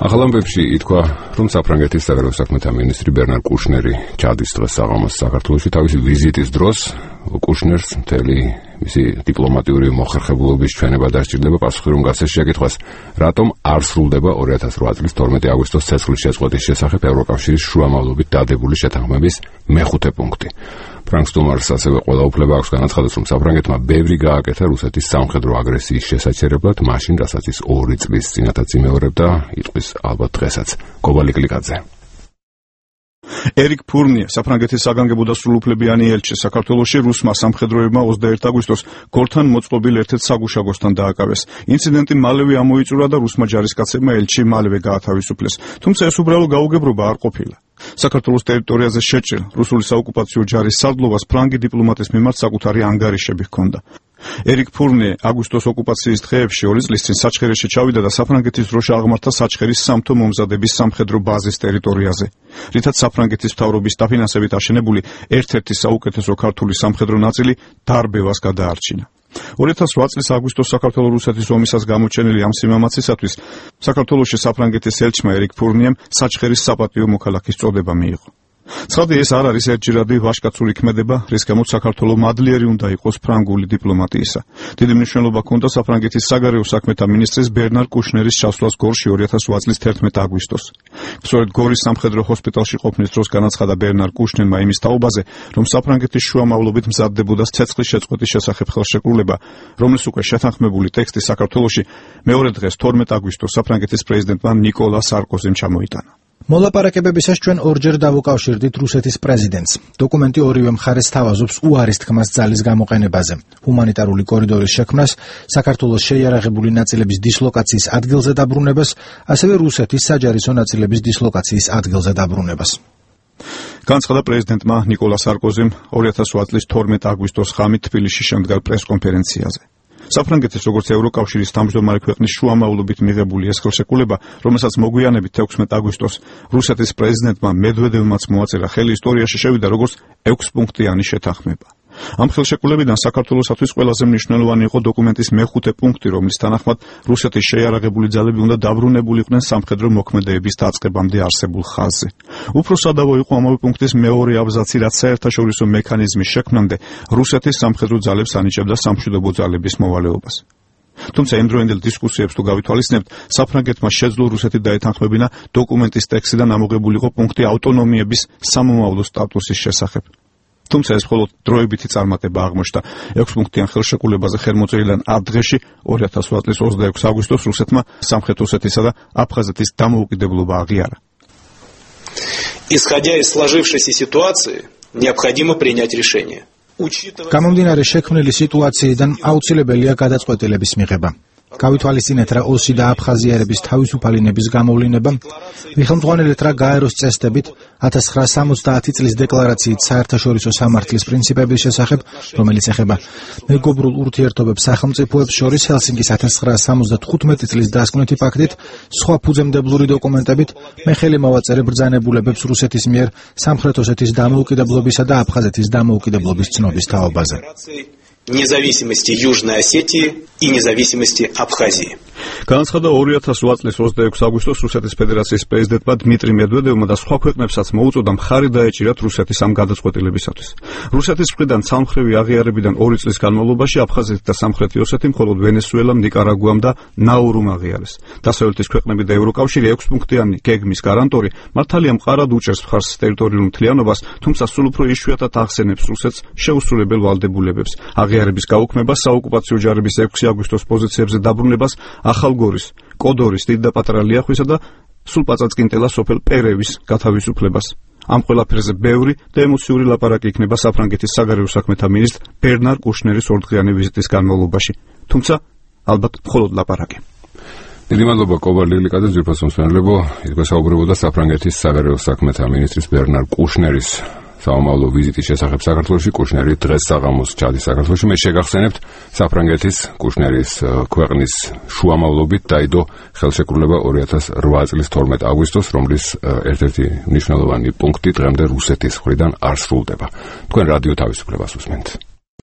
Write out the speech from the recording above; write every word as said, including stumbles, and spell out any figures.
ახალ ამბებში ითქვა, რომ საფრანგეთის საგარეო საქმეთა მინისტრი ბერნარ კუშნერი ჩადის დღეს საღამოს საქართველოში თავისი ვიზიტის დროს. კუშნერს მთელი მისი დიპლომატიური მოხერხებულობის ჩვენება დასჭირდება პასუხი, რომ გასცეს შეკითხვას, რატომ არ სრულდება ორი ათას ოთხ წლის თორმეტი აგვისტოს ცეცხლის შეწყვეტის შესახებ ევროკავშირის შუამავლობით დადებული შეთანხმების მეხუთე პუნქტი. ფრანკსტუმარს ასევე ყველა უფლება აქვს განაცხადოს, რომ საფრანგეთმა ბევრი გააკეთა რუსეთის სამხედრო აგრესიის შესაჩერებლად, მაშინ, რასაც ის ორი წლის წინათაც იმეორებდა, იტყვის ალბათ დღესაც. გობალი კლიკაძე. ერიკ ფურნიე, საფრანგეთის საგანგებო და სრულუფლებიანი ელჩი საქართველოში რუსმა სამხედროებმა ოცდაერთი აგვისტოს გორთან მოწყობილ ერთ-ერთ საგუშაგოსთან დააკავეს. ინციდენტი მალევე ამოიწურა და რუსმა ჯარისკაცებმა ელჩი მალევე გაათავისუფლეს. თუმცა ეს უბრალო გაუგებრობა არ ყოფილა. საქართველოს ტერიტორიაზე შეჭრილ რუსული საოკუპაციო ჯარის სარდლობას ფრანგი დიპლომატის მიმართ საკუთარი ანგარიშები ჰქონდა. ერიკ ფურნიე აგვისტოს ოკუპაციის დღეებში ორი წლის წინ საჩხერეში ჩავიდა და საფრანგეთის დროშა აღმართა საჩხერის სამთო მომზადების სამხედრო ბაზის ტერიტორიაზე, რითაც საფრანგეთის მთავრობის დაფინანსებით აშენებული ერთ-ერთი საუკეთესო ქართული სამხედრო ნაწილი დარბევას გადაარჩინა. ორი ათას ოთხ წლის აგვისტოს საქართველო-რუსეთის ომისას გამოჩენილი ამ სიმამაცისათვის საქართველოში საფრანგეთის ელჩმა ერიკ ფურნიემ საჩხერის საპატიო მოქალაქის წოდება მიიღო. ცხადია, ეს არ არის ერთჯერადი ვაჟკაცური ქმედება, რის გამოც საქართველო მადლიერი უნდა იყოს ფრანგული დიპლომატიისა. დიდი მნიშვნელობა ჰქონდა საფრანგეთის საგარეო საქმეთა მინისტრის ბერნარ კუშნერის ჩასვლას გორში ორი ათას ოთხ წლის თერთმეტი აგვისტოს. სწორედ გორის სამხედრო ჰოსპიტალში ყოფნის დროს განაცხადა ბერნარ კუშნერმა იმის თაობაზე, რომ საფრანგეთის შუამავლობით მზადდებოდა ცეცხლის შეწყვეტის შესახებ ხელშეკრულება, რომლის უკვე შეთანხმებული ტექსტი საქართველოში მეორე დღეს თორმეტი აგვისტოს საფრანგეთის პრეზიდენტმა ნიკოლა სარკოზიმ ჩამოიტანა. მოლაპარაკებებისას ჩვენ ორჯერ დავუკავშირდით რუსეთის პრეზიდენტს. დოკუმენტი ორივე მხარეს თავაზობს უარის თქმას ძალის გამოყენებაზე, ჰუმანიტარული კორიდორის შექმნას, საქართველოს შეიარაღებული ნაწილების დისლოკაციის ადგილზე დაბრუნებას, ასევე რუსეთის საჯარისო ნაწილების დისლოკაციის ადგილზე დაბრუნებას. განაცხადა პრეზიდენტმა ნიკოლა სარკოზიმ ორი ათას ოთხ წლის თორმეტი აგვისტოს ღამით თბილისში შემდგარ პრესკონფერენციაზე. საფრანგეთის როგორც ევროკავშირის თავმჯდომარე ქვეყნის შუამავლობით მიღებული ეს ხელშეკრულება, რომელსაც მოგვიანებით ექვსმეტი აგვისტოს რუსეთის პრეზიდენტმა მედვედევმაც მოაწერა ხელი, ისტორიაში შევიდა როგორც ექვსპუნქტიანი შეთანხმება. ამ ხელშეკრულებიდან საქართველოსათვის ყველაზე მნიშვნელოვანი იყო დოკუმენტის მეხუთე პუნქტი, რომლის თანახმად რუსეთის შეიარაღებული ძალები უნდა დაბრუნებულიყვნენ სამხედრო მოქმედებების დაწყებამდე არსებულ ხაზზე. უფრო სადავო იყო ამავე პუნქტის მეორე აბზაცი, რაც საერთაშორისო მექანიზმის შექმნამდე რუსეთის სამხედრო ძალებს ანიჭებდა სამშვიდობო ძალების მოვალეობას. თუმცა იმდროინდელ დისკუსიებს თუ გავითვალისწინებთ, საფრანგეთმა შეძლო რუსეთი დაეთანხმებინა დოკუმენტის ტექსტიდან ამოღებულიყო პუნქტი ავტონომიების სამომავლო სტატუსის შესახებ. თუმცა ეს მხოლოდ დროებითი წარმატება აღმოჩნდა. ექვსპუნქტიან ხელშეკრულებაზე ხელმოწერილიდან ათ დღეში ორი ათას ოთხ წლის ოცდაექვსი აგვისტოს რუსეთმა სამხრეთ ოსეთის და აფხაზეთის დამოუკიდებლობა აღიარა. Исходя из сложившейся ситуации, необходимо принять решение. გამომდინარე შექმნილი სიტუაციიდან აუცილებელია გადაწყვეტილების მიღება. გავითვალისწინეთ რა ოსი და აფხაზიარების თავისუფალინების გამოვლინება, მიხელმძღვანელეთ რა გაეროს წესდებით ათას ცხრაასა სამოცდაათი წლის დეკლარაციით საერთაშორისო სამართლის პრინციპების შესახებ, რომელიც ეხება მეგობრულ ურთიერთობებს სახელმწიფოებს შორის ჰელსინკის ათას ცხრაასა სამოცდათხუთმეტი წლის დასკვნითი ფაქტით, სხვა ფუძემდებლური დოკუმენტებით მე ხელი მოვაწერე ბრძანებულებებს რუსეთის მიერ სამხრეთ ოსეთის დამოუკიდებლობისა და აფხაზეთის დამოუკიდებლობის ცნობის თაობაზე. Независимости Южной Осетии и независимости Абхазии. განაცხადა ორი ათას ოთხ წლის ოცდაექვსი აგვისტოს რუსეთის ფედერაციის პრეზიდენტმა დმიტრი მედვედევმა და სხვა ქვეყნებსაც მოუწოდა მხარი დაეჭირათ რუსეთის ამ გადაწყვეტილებისათვის. რუსეთის მხრიდან ცალმხრივი აღიარებიდან ორი წლის განმავლობაში აფხაზეთი და სამხრეთი ოსეთი მხოლოდ ვენესუელამ, ნიკარაგუამ და ნაურუმ აღიარეს. დასავლეთის ქვეყნები და ევროკავშირი ექვსპუნქტიანი გეგმის გარანტორი მართალია მყარად უჭერს მხარს ტერიტორიულ მთლიანობას, თუმცა სულ უფრო იშვიათად ახსენებს რუსეთს შეუსრულებელ ვალდებულებებს. აღიარების გაუქმება, საოკუპაციო ჯარების ექვსი აგვისტოს პოზიციებზე დაბრუნებას, ახალგორის, კოდორის, დიდ და პატარა ლიახვისა და სულ პაწაწკინტელა სოფელ პერევის გათავისუფლებას. ამ ყველაფერზე ბევრი და ემოციური ლაპარაკი იქნება საფრანგეთის საგარეო საქმეთა მინისტრ ბერნარ კუშნერის ორდღიანი ვიზიტის განმავლობაში. თუმცა ალბათ მხოლოდ ლაპარაკი. დიდი მადლობა კობალ ლილიკაძე, ძვირფას მსმენელებო, ითქვა საუბრობოდა საფრანგეთის საგარეო საქმეთა მინისტრის ბერნარ კუშნერის საომავლო ვიზიტის შესახებ საქართველოში. კუშნერი დღეს საღამოს ჩადის საქართველოში. მე შეგახსენებთ, საფრანგეთის კუშნერის ქვეყნის შუამავლობით დაიდო ხელშეკრულება ორი ათას ოთხ წლის თორმეტი აგვისტოს, რომლის ერთ-ერთი მნიშვნელოვანი პუნქტი დღემდე რუსეთის მხრიდან არ სრულდება. თქვენ რადიო თავისუფლებას უსმენთ.